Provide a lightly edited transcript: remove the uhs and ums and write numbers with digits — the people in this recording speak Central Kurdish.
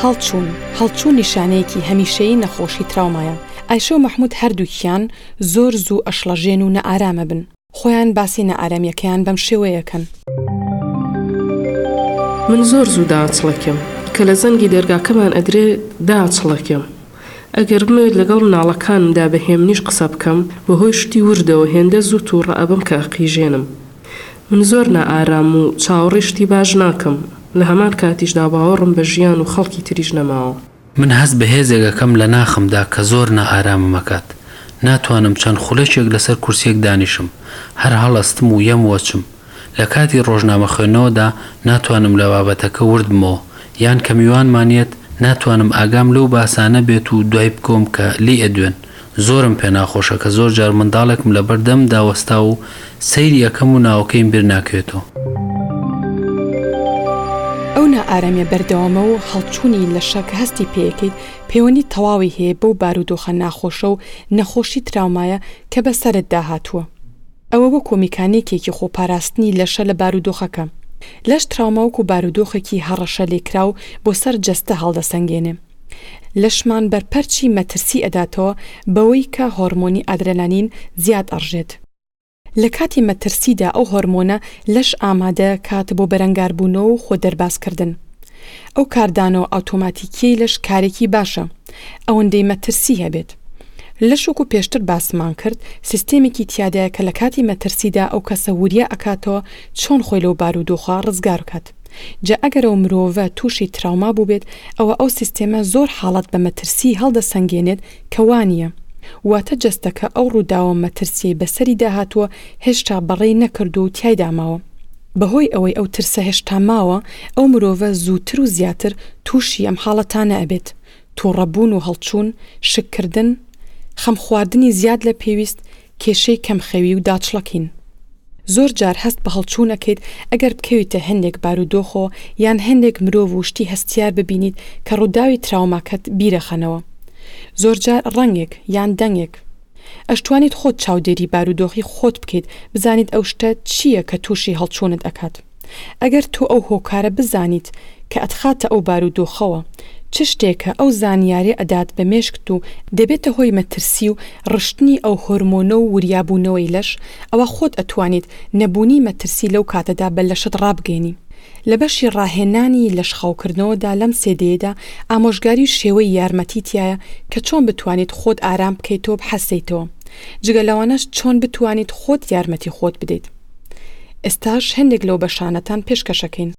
هەڵچوون، هەڵچوون نیشانەیەکی هەمیشەیی نەخۆشی تراومایە. ئایشە و مەحمود هەردووکیان زۆر زوو ئەشڵەژێن و نائارام ئەبن. خۆیان باسی نائارامییەکەیان بەم شێوەیە کەن. من زۆر زوو داچڵەکێم. کە لە زەنگی دەرگاکەمان ئەدرێ داچڵەکێم. ئەگەر بمەوێت لەگەڵ مناڵەکانمدا بە هێمنیش قسە بکەم، بەهۆی شتی وردەوە هێندە زوو تووڕە ئەبم کە ئەقیژێنم. من زۆر نائارامم و چاوەڕێی شتی باش ناکەم، لە هەمان کاتیشدا باوەڕم بە ژیان و خەڵکی تریش نەماوە. من هەست بە هێزێک ئەکەم لە ناخمدا کە زۆر نائارامم ئەکات. ناتوانم چەند خولەکێک لەسەر کورسیەک دانیشم، هەر هەڵئەستم و یەم و ئەچم. لە کاتی ڕۆژنامە خوێندنەوەدا ناتوانم لە بابەتەکە ورد بمەوە، یان کە میوانمان یەت ناتوانم ئاگام لەو باسانە بێت و دوای بکەوم کە لێی ئەدوێن. زۆرم پێ ناخۆشە کە زۆر جار منداڵێکم لەبەر دەممدا وەستاوە و سەیری ئەکەم و ناوەکەیم بیر ناکەوێتەوە. ئەو نائارامیە بەردەوامە و هەڵچوونی لەشە کە هەستی پێیەکەیت پەیوەندی تەواوی هەیە بەو بارودۆخە ناخۆشە و نەخۆشی تراومایە کە بەسەرتدا هاتووە. ئەوە وەکو میکانیکێکی خۆپاراستنی لەشە لە بارودۆخەکە. لەش تراوما وەکو بارودۆخێکی هەڕەشەلێکراو بۆ سەر جەستە هەڵدەسەنگێنێ. لەشمان بەرپەرچی مەترسی ئەداتەوە بەوەی کە هۆرمۆنی ئادرەنالین زیاد ئەڕژێت. لە کاتی مەترسیدا ئەو هۆرمۆنە لەش ئامادە کات بۆ بەرەنگاربوونەوە و خۆ دەربازکردن. ئەو کاردانەوە ئاوتۆماتیکیەی لەش کارێکی باشە ئەوەندەی مەترسی هەبێت. لەش وەکو پێشتر باسمان کرد سیستێمێکی تیادایە کە لە کاتی مەترسیدا ئەو کەسە وریا ئەکاتەوە چۆن خۆی لەو بارودۆخە ڕزگار بکات. جا ئەگەر ئەو مرۆڤە تووشی تراوما بووبێت ئەوە ئەو سیستێمە زۆر حاڵەت بە مەترسی هەڵدەسەنگێنێت کە وانیە. واتە جەستەکە ئەو ڕووداوە مەترسیەی بەسەریدا هاتووە هێشتا بەڕێی نەکردووە و تیایدا ماوە. بەهۆی ئەوەی ئەو ترسە هێشتا ماوە، ئەو مرۆڤە زووتر و زیاتر تووشی ئەم حاڵەتانە ئەبێت، توڕەبوون و هەڵچوون، شککردن، خەمخواردنی زیاد لە پێویست، کێشەی کەمخەوی و داچڵەکین. زۆر جار هەست بە هەڵچوون ئەکەیت ئەگەر بکەویتە هەندێک بارودۆخەوە یان هەندێک مرۆڤ و شتی هەستیار ببینیت کە ڕووداوی تراوماکەت بیرەخەنەوە. زۆرجار ڕەنگێک یان دەنگێک. ئەشتوانیت خۆت چاودێری بارودۆخی خۆت بکەیت بزانیت ئەو شتە چییە کە تووشی هەڵچوونت ئەکات. ئەگەر تۆ ئەو هۆکارە بزانیت کە ئەتخاتە ئەو بارودۆخەوە، چ شتێکە ئەو زانیاریە ئەدات بە مێشکت و دەبێتە هۆی مەترسی و ڕشتنی ئەو هۆرمۆنە و وریابوونەوەی لەش، ئەوا خۆت ئەتوانیت نەبوونی مەترسی لەو کاتەدا بە لەشت ڕابگەینی. لە بەشی ڕاهێنانی لەش خاوکردنەوەدا لەم سێدەیەدا ئامۆژگاری و شێوەی یارمەتی تیایە کە چۆن بتوانیت خۆت ئارام بکەیتەوە بحەسێیتەوە جگە لەوانەش چۆن بتوانیت خۆت یارمەتی خۆت بدەیت. ئێستاش هەندێک لەو بەشانەتان پێشکەشەکەین.